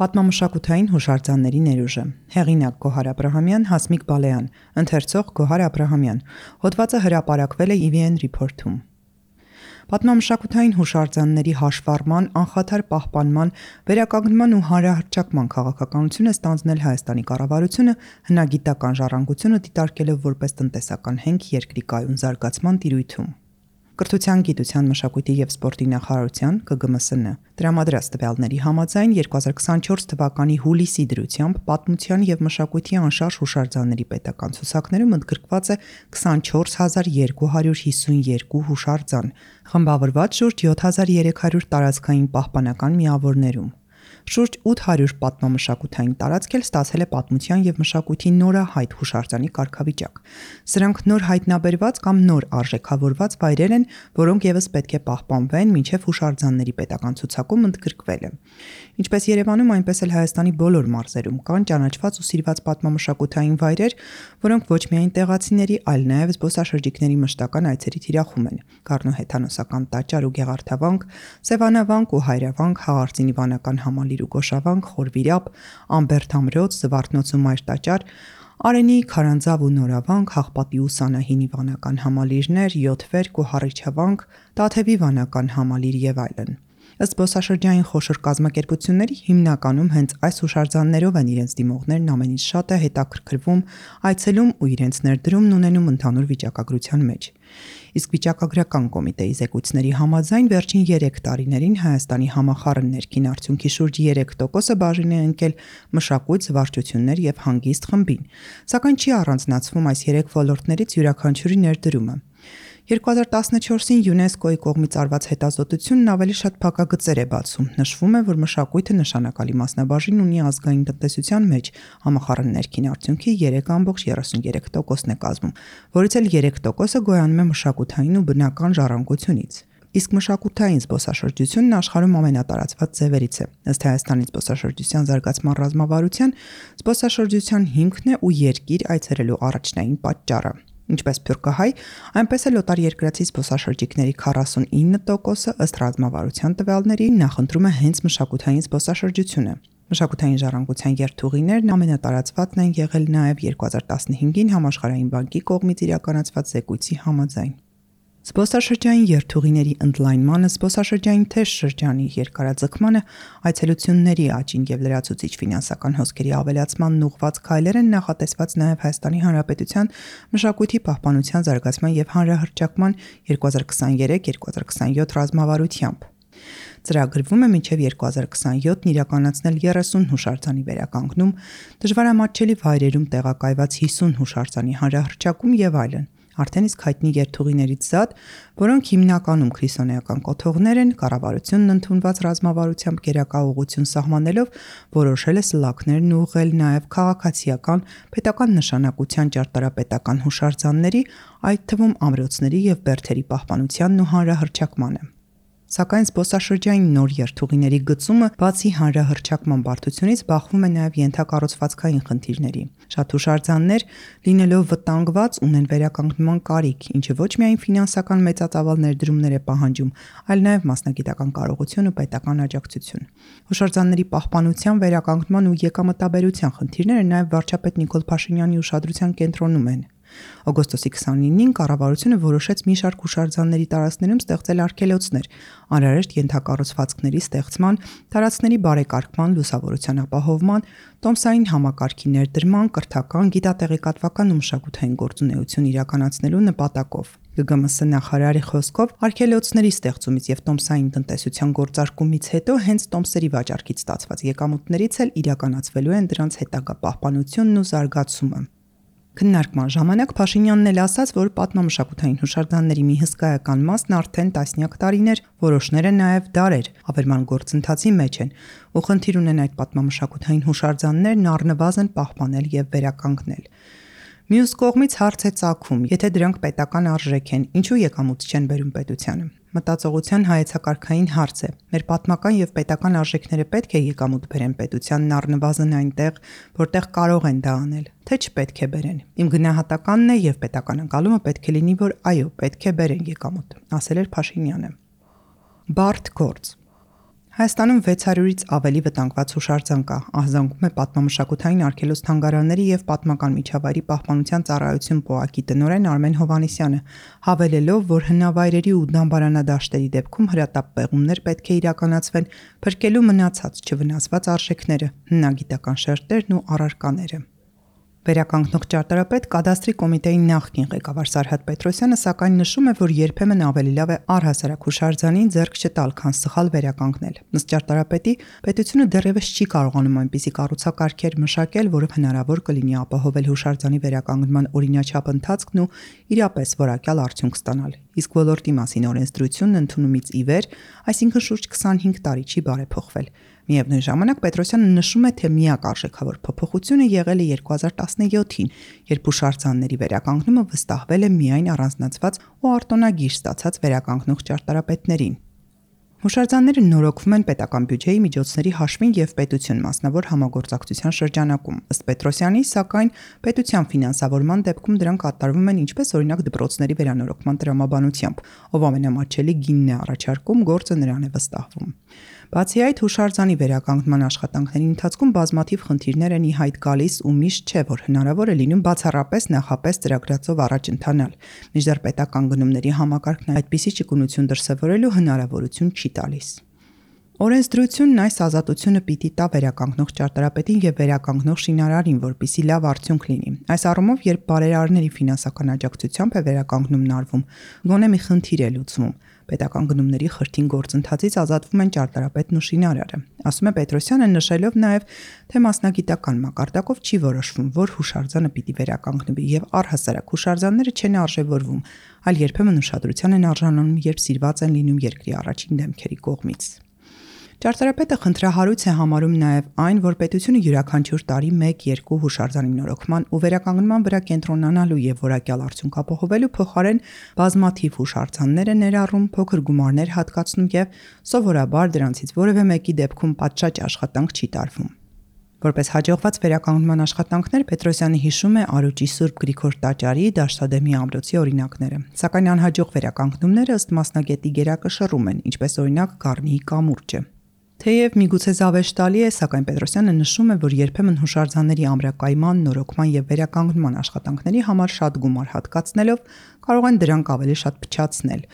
Պատմամշակութային հուշարձանների ներուժը։ Հեղինակ Գոհար Աբրահամյան, Հասմիկ Բալեյան, ընթերցող Գոհար Աբրահամյան։ Հոդվածը հրապարակվել է EVN Report-ում։ Պատմամշակութային հուշարձանների հաշվառման, անխաթար պահպանման, վերականգնման ու հանրահռչակման քաղաքականությունը ստանձնել Հայաստանի կառավարությունը հնագիտական ժառանգությունը դիտարկելով որպես տնտեսական հենք երկրի կայուն զարգացման տիրույթում։ Կրթության, գիտության, մշակույթի և սպորտի նախարարության ԿԳՄՍՆ տրամադրած տվյալների համաձայն 2024 թվականի հուլիսի դրությամբ պատմության և մշակույթի անշարժ հուշարձանների պետական ցուցակներում ընդգրկված է 24252 հուշարձան, խմբավորված շուրջ 7300 տարածքային պահպանական միավորներում։ Շուրջ 800 պատմամշակութային տարածք էլ ստացել է պատմության և մշակույթի նորահայտ հուշարձանի կարգավիճակ։ Սրանք նոր հայտնաբերված կամ նոր արժեքավորված վայրեր են, որոնք ևս պետք է պահպանվեն մինչև հուշարձանների պետական ցուցակում ընդգրկվելը։ Ինչպես Երևանում, այնպես էլ Հայաստանի բոլոր մարզերում կան ճանաչված ու սիրված պատմամշակութային վայրեր, որոնք ոչ միայն տեղացիների, այլ նաև զբոսաշրջիկների մշտական այցերի թիրախում են։ Գառնու հեթանոսական տաճար ու Գեղարդավանք, Սևանավանք ու Հայրավանք, Հաղարծինի վանական համալիր ու Գոշավանք, Խորվիրապ, Ամբերդ ամրոց, Զվարթնոց ու Մայր տաճար, Արենի, Քարանձավ ու Նորավանք, Հաղպատի ու Սանահինի վանական համալիրներ, Յոթվերք ու Հառիչավանք, Տաթևի վանական համալիր եւ այլն։ Ըստ զբոսաշրջային խոշոր կազմակերպությունների հիմնականում հենց այս հուշարձաններով են իրենց դիմողներն ամենից շատը հետաքրքրվում, այցելում ու իրենց ներդրումն ունենում ընդհանուր վիճակագրության մեջ։ Իսկ վիճակագրական կոմիտեի զեկույցների համաձայն վերջին 3 տարիներին Հայաստանի համախառն ներքին արդյունքի շուրջ 3%-ը բաժին է ընկել մշակույթ, զվարճություններ եւ հանգիստ խմբին, սակայն չի առանձնացվում այս 3 ոլորտներից յուրաքանչյուրի ներդրումը։ 2014-ին ՅՈՒՆԵՍԿՕ-ի կողմից արված հետազոտությունն ավելի շատ փակագծեր է բացում։ Նշվում է, որ մշակույթը նշանակալի մասնաբաժին ունի ազգային տնտեսության մեջ, համախառն ներքին արդյունքի 3.33%-ն է կազմում, որից էլ 3%-ը գոյանում է մշակութային ու բնական ժառանգությունից։ Իսկ մշակութային զբոսաշրջությունն աշխարհում ամենատարածված ձևերից է։ Ըստ Հայաստանի զբոսաշրջության զարգացման ռազմավարության, զբոսաշրջության հիմքն է ու երկիր այցելելու առաջնային պատճառը։ Ինչպես սփյուռքահայ, այնպես էլ օտարերկրացի զբոսաշրջիկների 49%-ը ըստ ռազմավարության տվյալների նախընտրում է հենց մշակութային զբոսաշրջությունը։ Մշակութային ժառանգության երթուղիներն ամենատարածվածն են եղել նաև 2015-ին Համաշխարհային բանկի կողմից իրականացված զեկույցի համաձայն։ Զբոսաշրջային երթուղիների ընդլայնմանը, զբոսաշրջային թեժ շրջանի երկարաձգմանը, այցելությունների աճին եւ լրացուցիչ ֆինանսական հոսքերի ավելացմանն ուղղված քայլեր են նախատեսված նաև Հայաստանի Հանրապետության մշակույթի պահպանության զարգացման եւ հանրահռչակման 2023-2027 ռազմավարությամբ։ Ծրագրվում է մինչև 2027-ն իրականացնել 30 հուշարձանի վերականգնում, դժվարամատչելի վայրերում տեղակայված 50 հուշարձանի հանրահռչակում եւ այլն։ Արդեն իսկ հայտնի երթուղիներից զատ, որոնք հիմնականում քրիսոնեական կոթողներ են, կառավարությունն ընդունված ռազմավարությամբ գերակա ուղղություն սահմանելով որոշել է սլաքներն ուղղել նաև քաղաքացիական, պետական նշանակության ճարտարապետական հուշարձանների, այդ թվում ամրոցների եւ բերդերի պահպանությանն ու հանրահռչակմանը։ Սակայն զբոսաշրջային նոր երթուղիների գծումը բացի հանրահռչակման բարդությունից բախվում է նաև ենթակառուցվածքային խնդիրների։ Շատ հուշարձաններ, լինելով վտանգված, ունեն վերականգնման կարիք, ինչը ոչ միայն ֆինանսական մեծածավալ ներդրումներ է պահանջում, այլ նաև մասնագիտական կարողություն ու պետական աջակցություն։ Հուշարձանների պահպանության, վերականգնման ու եկամտաբերության խնդիրները նաև վարչապետ Նիկոլ Փաշինյանի ուշադրության կենտրոնում են։ Օգոստոսի 29-ին կառավարությունը որոշեց մի շարք հուշարձանների տարածքներում ստեղծել արգելոցներ, անհրաժեշտ ենթակառուցվածքների ստեղծման, տարածքների բարեկարգման, լուսավորության ապահովման, տոմսային համակարգի ներդրման, կրթական, գիտատեղեկատվական ու մշակութային գործունեություն իրականացնելու նպատակով։ ԳԳՄՍ նախարարի խոսքով արգելոցների ստեղծումից եւ տոմսային տնտեսության գործարկումից հետո հենց տոմսերի վաճառքից ստացված եկամուտներից էլ իրականացվելու են դրանց հետագա պահպանությունն ու զարգացումը։ Քննարկման ժամանակ Փաշինյանն էլ ասաց, որ պատմամշակութային հուշարձանների մի հսկայական մասն արդեն տասնյակ տարիներ, որոշները նաև դարեր ավերման գործընթացի մեջ են, ու խնդիր ունեն այդ պատմամշակութային հուշարձաններն առնվազն պահպանել եւ վերականգնել։ Մյուս կողմից հարց է ծագում, եթե դրանք պետական արժեք են, ինչու եկամուտ չեն բերում պետությանը։ Մտածողության հայեցակարգային հարց է։ Մեր պատմական եւ պետական արժեքները պետք է եկամուտ բերեն պետությանն առնվազն այնտեղ, որտեղ կարող են դա անել, թե չպետք է բերեն։ Իմ գնահատականն է եւ պետական ընկալումը պետք է լինի, որ այո, պետք է բերեն եկամուտ, ասել էր Փաշինյանը։ Բարդ գործ։ Հայաստանում 600-ից ավելի վտանգված հուշարձան կա, ահազանգում է պատմամշակութային արգելոց թանգարանների և պատմական միջավայրի պահպանության ծառայություն ՊՕԱԿ-ի տնօրեն Արմեն Հովհաննիսյանը, հավելելով, որ հնավայրերի ու դամբարանադաշտերի դեպքում հրատապ պեղումներ պետք է իրականացվեն, փրկելու մնացած չվնասված արժեքները, հնագիտական շերտերն ու առարկաները։ Վերականգնող ճարտարապետ կադաստրի կոմիտեի նախկին ղեկավար Սարհատ Պետրոսյանը սակայն նշում է, որ երբեմն ավելի լավ է առհասարակ հուշարձանին ձեռք չտալ, քան սխալ վերականգնել։ Ըստ ճարտարապետի, պետությունը դեռևս չի կարողանում այնպիսի կառուցակարգեր մշակել, որով հնարավոր կլինի ապահովել հուշարձանի վերականգնման օրինաչափ ընթացքն ու իրապես որակյալ արդյունք ստանալ։ Իսկ ոլորտի մասին օրենսդրությունն ընդունումից ի վեր, այսինքն շուրջ 25 տարի չի բարեփոխվել։ Միևնույն ժամանակ Պետրոսյանը նշում է, թե միակ արժեքավոր փոփոխությունը եղել է 2017-ին, երբ հուշարձանների վերականգնումը վստահվել է միայն առանձնացված ու արտոնագիր ստացած վերականգնող ճարտարապետներին։ Հուշարձանները նորոգվում են պետական բյուջեի միջոցների հաշվին և պետություն մասնավոր համագործակցության շրջանակում։ Ըստ Պետրոսյանի, սակայն պետության ֆինանսավորման դեպքում դրանք կատարվում են ինչպես օրինակ դպրոցների վերանորոգման տրամաբանությամբ, ով ամենամատչելի գինն է առաջարկում, գործը նրան է վստահվում։ Բացի այդ, հուշարձանի վերականգնման աշխատանքների ընթացքում բազմաթիվ խնդիրներ են ի հայտ գալիս ու միշտ չէ, որ հնարավոր է լինում բացառապես նախապես ծրագրածով առաջ ընթանալ։ Մինչդեռ պետական գնումների համակարգն այդպիսի ճկունություն դրսևորելու հնարավորություն չի տալիս։ Օրենսդրությունն այս ազատությունը պիտի տա վերականգնող ճարտարապետին և վերականգնող շինարարին, որպեսզի լավ արդյունք լինի։ Այս առումով, երբ բարերարների ֆինանսական աջակցությամբ է վերականգնումն արվում, գոնե մի խնդիր է լուծվում։ Պետական գնումների խրթին գործընթացից ազատվում են ճարտարապետն ու շինարարը, ասում է Պետրոսյանը, նշելով նաև, թե մասնագիտական մակարդակով չի որոշվում, որ հուշարձանը պիտի վերականգնվի և առհասարակ հուշարձանները չեն արժևորվում, այլ երբեմն ուշադրության են արժանանում, երբ սիրված են լինում երկրի առաջին դեմքերի կողմից։ Ճարտարապետը խնդրահարույց է համարում նաև այն, որ պետությունը յուրաքանչյուր տարի 1-2 հուշարձանի նորոգման ու վերականգնման վրա կենտրոնանալու և որակյալ արդյունք ապահովելու փոխարեն բազմաթիվ հուշարձաններ է ներառում, փոքր գումարներ հատկացնում և սովորաբար դրանցից որևէ մեկի դեպքում պատշաճ աշխատանք չի տարվում։ Որպես հաջողված վերականգնման աշխատանքներ Պետրոսյանը հիշում է Արուճի Սուրբ Գրիգոր տաճարի, Դաշտադեմի ամրոցի օրինակները, սակայն անհաջող վերականգնումները ըստ մասնագետի գերակշռում են, ինչպես օրինակ Գառնիի կամուրջը։ Թեև միգուցե զավեշտալի է, սակայն Պետրոսյանը նշում է, որ երբեմն հուշարձանների ամրակայման, նորոգման և վերականգնման աշխատանքների համար շատ գումար հատկացնելով կարող են դրանք ավելի շատ փչացնել։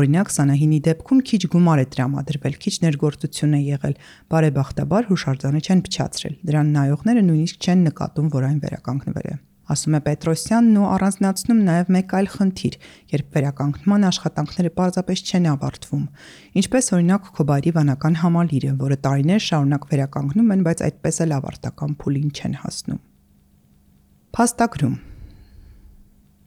Օրինակ, Սանահինի դեպքում քիչ գումար է տրամադրվել, քիչ ներգործություն է եղել, բարեբախտաբար հուշարձանը չեն փչացրել։ Դրան նայողները նույնիսկ չեն նկատում, որ այն վերականգնվել է։ Ասում է Պետրոսյանն ու առանձնացնում նաև մեկ այլ խնդիր, երբ վերականգնման աշխատանքները պարզապես չեն ավարտվում։ Ինչպես օրինակ Քոբայրի վանական համալիրը, որը տարիներ շարունակ վերականգնում են, բայց այդպես էլ ավարտական փուլին չեն հասնում։ Փաստագրում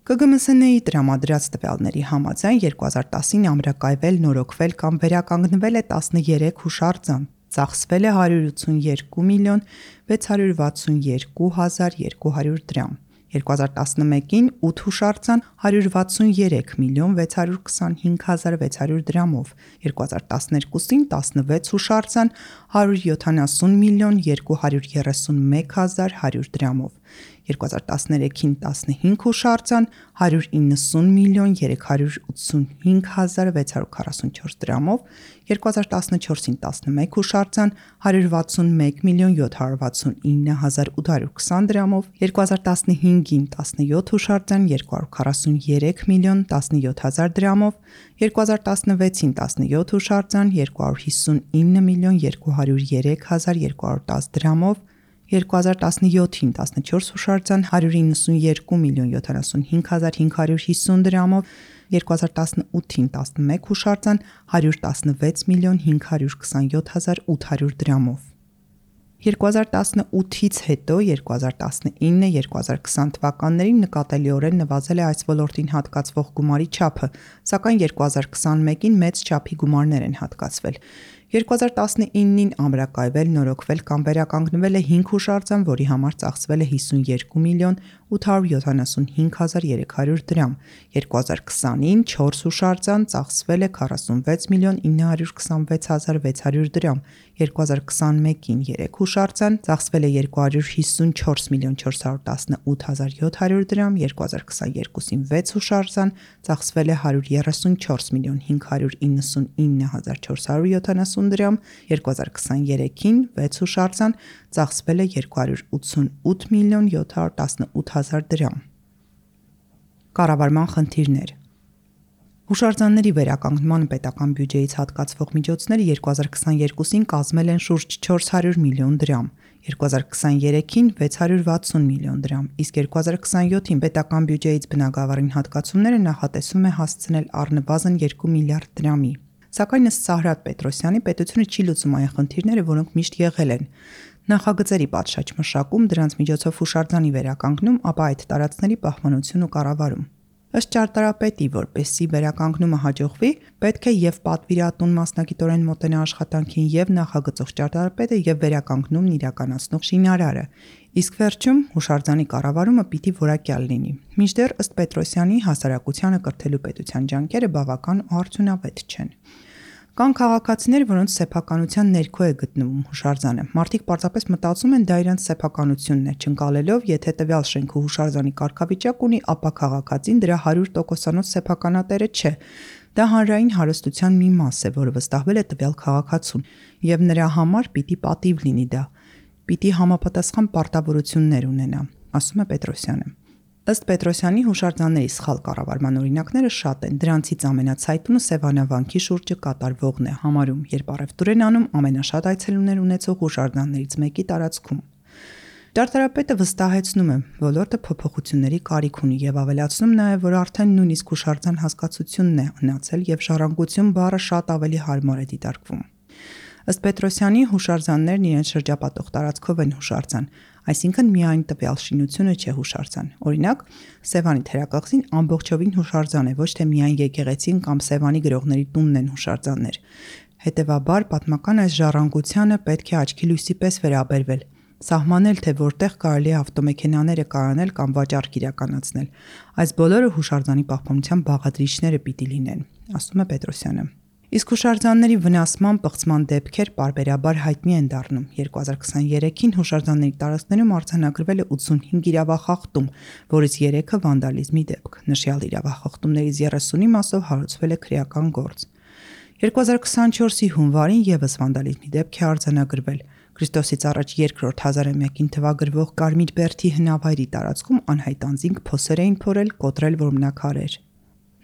ԿԳՄՍՆ-ի տրամադրած տվյալների համաձայն 2010-ին ամրակայվել, նորոգվել կամ վերականգնվել է 13 հուշարձան, ծախսվել է 182 միլիոն 662 հազար 200 դրամ։ 2011-ին 8 հուշարձան 163 միլիոն 625 հազար 600 դրամով, 2012-ին 16 հուշարձան 170 միլիոն 231 հազար 100 դրամով, 2013-ին 15 հուշարձան 190 միլիոն 385 հազար 644 դրամով, 2014-ին 11 հուշարձան 161 միլիոն 769 հազար 820 դրամով, 2015-ին 17 հուշարձան 243 միլիոն 17 հազար դրամով, 2016-ին 17 հուշարձան 259 միլիոն 203 հազար 210 դրամով, 2017-ին 14 հուշարձան 192 միլիոն 75 հազար 550 դրամով, 2018-ին 11 հուշարձան 116 միլիոն 527 հազար 800 դրամով։ 2018-ից հետո 2019-2020 թվականներին նկատելիորեն նվազել է այս ոլորտին հատկացվող գումարի չափը, սակայն 2021-ին մեծ չափի գումարներ են հատկացվել։ 2019-ին ամրակայվել, նորոգվել կամ վերականգնվել է 5 հուշարձան, որի համար ծախսվել է 52 միլիոն 875 հազար 300 դրամ, 2020-ին 4 հուշարձան ծախսվել է 46 միլիոն 926 հազար 600 դրամ, 2021-ին 3 հուշարձան, ծախսվել է 254 միլիոն 418,700 դրամ, 2022-ին 6 հուշարձան, ծախսվել է 134 միլիոն 599,470 դրամ, 2023-ին 6 հուշարձան, ծախսվել է 288 միլիոն 718,000 դրամ։ Կառավարման խնդիրներ։ Հուշարձանների վերականգնման պետական բյուջեից հատկացվող միջոցները 2022-ին կազմել են շուրջ 400 միլիոն դրամ, 2023-ին 660 միլիոն դրամ, իսկ 2027-ին պետական բյուջեից բնագավառին հատկացումները նախատեսվում է հասցնել առնվազն 2 միլիարդ դրամի։ Սակայն ըստ Սահրատ Պետրոսյանի, պետությունը չի լուծում այն խնդիրները, որոնք միշտ եղել են։ Նախագծերի պատշաճ մշակում, դրանց միջոցով հուշարձանի վերականգնում, ապա այդ տարածքների պահպանություն ու կառավարում։ Ըստ ճարտարապետի, որպեսզի վերականգնումը հաջողվի, պետք է եւ պատվիրատուն մասնագիտորեն մոտենա աշխատանքին, եւ նախագծող ճարտարապետը, եւ վերականգնումն իրականացնող շինարարը։ Իսկ վերջում հուշարձանի կառավարումը պիտի որակյալ լինի։ Մինչդեռ ըստ Պետրոսյանի, հասարակությանը կրթելու պետության ջանքերը բավական ու արդյունավետ չեն։ Կան քաղաքացիներ, որոնց սեփականության ներքո է գտնվում հուշարձանը։ Մարդիկ պարզապես մտածում են դա իրենց սեփականությունն է, չընկալելով, եթե տվյալ շենքը հուշարձանի կարգավիճակ ունի, ապա քաղաքացին դրա 100%-անոց սեփականատերը չէ։ Դա հանրային հարստության մի մաս է, որը վստահվել է տվյալ քաղաքացուն, եւ նրա համար պիտի պատիվ լինի դա։ Պիտի համապատասխան պարտավորություններ ունենա, ասում է Պետրոսյանը։ Ըստ Պետրոսյանի, հուշարձանների սխալ կառավարման օրինակները շատ են, դրանցից ամենացայտունը Սևանավանքի շուրջը կատարվողն է համարում, երբ առևտուր են անում ամենաշատ այցելուներ ունեցող հուշարձաններից մեկի տարածքում։ Ճարտարապետը վստահեցնում է, ոլորտը փոփոխությունների կարիք ունի եւ ավելացնում նաեւ, որ արդեն նույնիսկ հուշարձան հասկացությունն է ունացել եւ ժառանգություն բառը շատ ավելի հարմար է դիտարկվում։ Ըստ Պետրոսյանի, հուշարձաններն իրենց շրջապատող տարածքով են հուշարձան, այսինքն միայն տվյալ շինությունը չէ հուշարձան։ Օրինակ, Սևանի թերակղզին ամբողջովին հուշարձան է, ոչ թե միայն եկեղեցին կամ Սևանի գրողների տունն են հուշարձաններ։ Հետևաբար, պատմական այս ժառանգությանը պետք է աչքի լույսի պես վերաբերվել, սահմանել, թե որտեղ կարելի է ավտոմեքենաները կայանել կամ վաճառք իրականացնել։ Այս բոլորը հուշարձանի պահպանության բաղադրիչները պիտի լինեն, ասում է Պետրոսյանը։ Իսկ հուշարձանների վնասման պղծման դեպքեր պարբերաբար հայտնի են դառնում։ 2023-ին հուշարձանների տարածքներում արձանագրվել է 85 իրավախախտում, որից 3-ը վանդալիզմի դեպք։ Նշյալ իրավախախտումներից 30-ի մասով հարուցվել է քրեական գործ։ 2024-ի հունվարին եւս վանդալիզմի դեպք է արձանագրվել։ Քրիստոսից առաջ 2-րդ հազարամյակին թվագրվող Կարմիր Բերդի հնավայրի տարածքում անհայտ անձինք փոսեր էին փորել, կոտրել որմնաքարեր։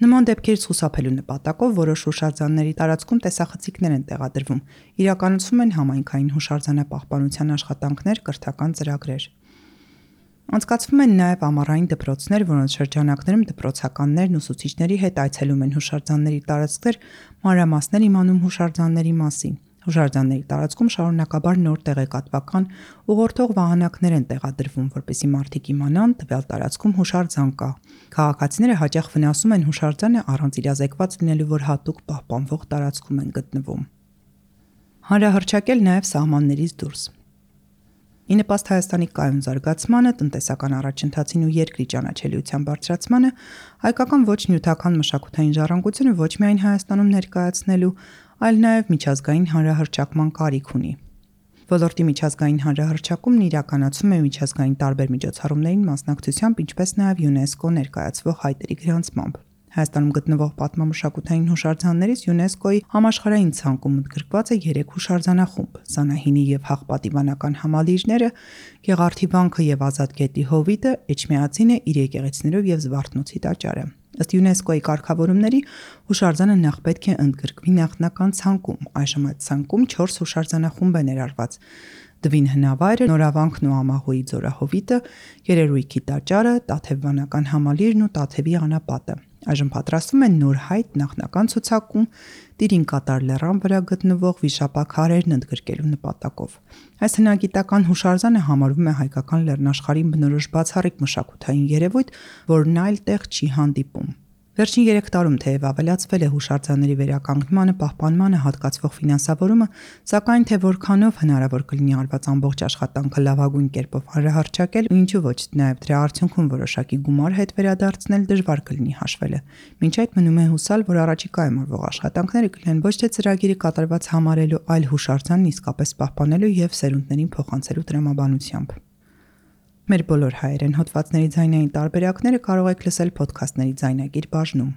Նման դեպքերից խուսափելու նպատակով որոշ հուշարձանների տարածքում տեսախցիկներ են տեղադրվում, իրականացվում են համայնքային հուշարձանապահպանության աշխատանքներ, կրթական ծրագրեր։ Անցկացվում են նաև ամառային դպրոցներ, որոնց շրջանակներում դպրոցականներն ուսուցիչների հետ այցելում են հուշարձանների տարածքներ, մանրամասներ իմանում հուշարձանների մասին։ Հուշարձանների տարածքում շարունակաբար նոր տեղեկատվական ուղղորդող վահանակներ են տեղադրվում, որպեսզի մարդիկ իմանան տվյալ տարածքում հուշարձան կա։ Քաղաքացիները հաճախ վնասում են հուշարձանը առանց իրազեկված լինելու, որ հատուկ պահպանվող տարածքում են գտնվում։ Հանրահռչակել նաև սահմաններից դուրս։ Ի նպաստ Հայաստանի կայուն զարգացմանը, տնտեսական առաջընթացին ու երկրի ճանաչելիության բարձրացմանը, հայկական ոչ նյութական մշակութային ժառանգությունը ոչ միայն Հայաստանում ներկայացնելու, այլ նաև միջազգային հանրահռչակման կարիք ունի։ Ոլորտի միջազգային հանրահռչակումն իրականացում է միջազգային տարբեր միջոցառումներին մասնակցությամբ, ինչպես նաև ՅՈՒՆԵՍԿՕ ներկայացվող հայտերի գրանցմամբ։ Հայաստանում գտնվող պատմամշակութային հուշարձաններից ՅՈՒՆԵՍԿՕ-ի համաշխարհային ցանկում ընդգրկված է 3 հուշարձանախումբ՝ Սանահինի եւ Հաղպատիվանական համալիրները, Գեղարդի վանքը եւ Ազատ գետի հովիտը, Էջմիածինը իր եկեղեցիներով եւ Զվարթնոցի տաճարը։ Ըստ ՅՈՒՆԵՍԿՕ-ի կարգավորումների հուշարձանը նախ պետք է ընդգրկվի նախնական ցանկում, այժմ այդ ցանկում 4 հուշարձանախումբ է ներառված՝ Դվին հնավայրը, Նորավանքն ու Ամահոյի ձորահովիտը, Երերույքի տաճարը, Տաթևվանական համալիրն ու Տաթևի անապատը։ Այժմ պատրաստվում են նոր հայտ նախնական ցուցակում Տիրին կատար լեռան վրա գտնվող վիշապաքարերն ընդգրկելու նպատակով։ Այս հնագիտական հուշարձանը համարվում է հայկական լեռնաշխարհին բնորոշ բացառիկ մշակութային երևույթ, որն այլ տեղ չի հանդիպում։ Վերջին 3 տարում թեև ավելացվել է հուշարձանների վերականգնմանը, պահպանմանը հատկացվող ֆինանսավորումը, սակայն թե որքանով հնարավոր կլինի արված ամբողջ աշխատանքը լավագույն կերպով հանրահռչակել ու ինչու ոչ, նաև դրա արդյունքում որոշակի գումար հետ վերադարձնել դժվար կլինի հաշվելը։ Մինչ այդ մնում է հուսալ, որ առաջիկայում արվող աշխատանքները կլինեն ոչ թե ծրագիրը կատարված համարելու, այլ հուշարձանն իսկապես պահպանելու եւ սերունդներին փոխանցելու տրամաբանությամբ։ Մեր բոլոր հայերեն հոդվածների ձայնային տարբերակները կարող եք լսել փոդքասթների ձայնագիր բաժնում։